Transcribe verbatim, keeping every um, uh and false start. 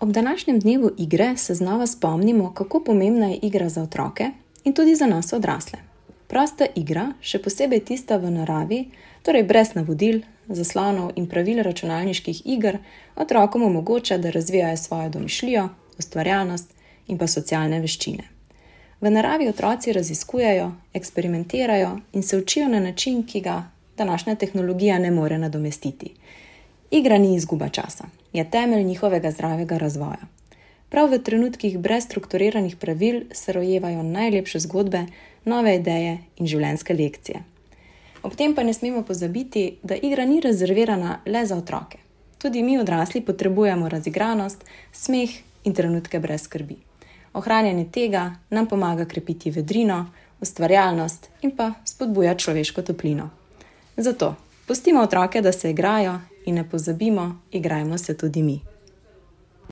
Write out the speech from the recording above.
Ob današnjem dnevu igre se znova spomnimo, kako pomembna je igra za otroke in tudi za nas odrasle. Prosta igra, še posebej tista v naravi, torej brez navodil, zaslonov in pravil računalniških iger, otrokom omogoča, da razvijajo svojo domišljijo, ustvarjalnost in pa socialne veščine. V naravi otroci raziskujejo, eksperimentirajo in se učijo na način, ki ga današnja tehnologija ne more nadomestiti. Igra ni izguba časa, je temelj njihovega zdravega razvoja. Prav v trenutkih brez strukturiranih pravil se rojevajo najlepše zgodbe, nove ideje in življenjske lekcije. Ob tem pa ne smemo pozabiti, da igra ni rezervirana le za otroke. Tudi mi odrasli potrebujemo razigranost, smeh in trenutke brez skrbi. Ohranjanje tega nam pomaga krepiti vedrino, ustvarjalnost in pa spodbuja človeško toplino. Zato pustimo otroke, da se igrajo in ne pozabimo, igrajmo se tudi mi.